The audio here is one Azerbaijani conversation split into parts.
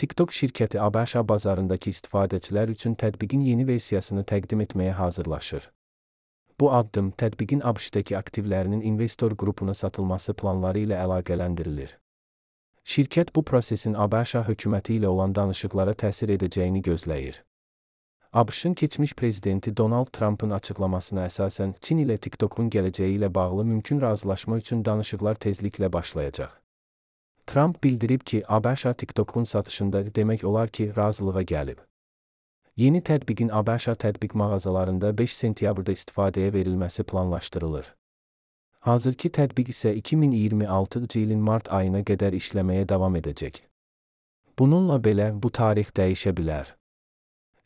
TikTok şirkəti ABŞ bazarındakı istifadəçilər üçün tətbiqin yeni versiyasını təqdim etməyə hazırlaşır. Bu addım tətbiqin ABŞ-dakı aktivlərinin investor qrupuna satılması planları ilə əlaqələndirilir. Şirkət bu prosesin ABŞ hökuməti ilə olan danışıqlara təsir edəcəyini gözləyir. ABŞ-ın keçmiş prezidenti Donald Trump'ın açıqlamasına əsasən Çin ilə TikTok'un gələcəyi ilə bağlı mümkün razılaşma üçün danışıqlar tezliklə başlayacaq. Trump bildirib ki, ABŞ TikTok'un satışında demək olar ki, razılığa gəlib. Yeni tətbiqin ABŞ tətbiq mağazalarında 5 sentyabrda istifadəyə verilməsi planlaşdırılır. Hazırki tətbiq isə 2026 ilin mart ayına qədər işləməyə davam edəcək. Bununla belə bu tarix dəyişə bilər.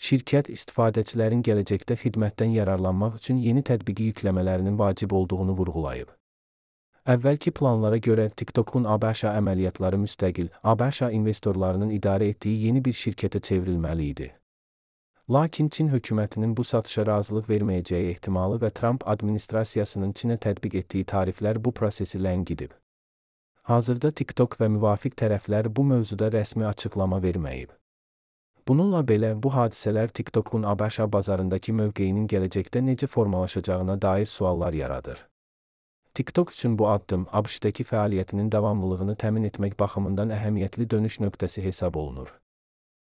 Şirkət istifadəçilərin gələcəkdə xidmətdən yararlanmaq üçün yeni tətbiqi yükləmələrinin vacib olduğunu vurğulayıb. Əvvəlki planlara görə TikTok'un ABŞ əməliyyatları müstəqil, ABŞ investorlarının idarə etdiyi yeni bir şirkətə çevrilməli idi. Lakin Çin hökumətinin bu satışa razılıq verməyəcəyi ehtimalı və Trump administrasiyasının Çinə tətbiq etdiyi tariflər bu prosesi ləngidib. Hazırda TikTok və müvafiq tərəflər bu mövzuda rəsmi açıqlama verməyib. Bununla belə, bu hadisələr TikTok'un ABŞ bazarındakı mövqeyinin gələcəkdə necə formalaşacağına dair suallar yaradır. TikTok üçün bu addım ABŞ-dakı fəaliyyətinin davamlılığını təmin etmək baxımından əhəmiyyətli dönüş nöqtəsi hesab olunur.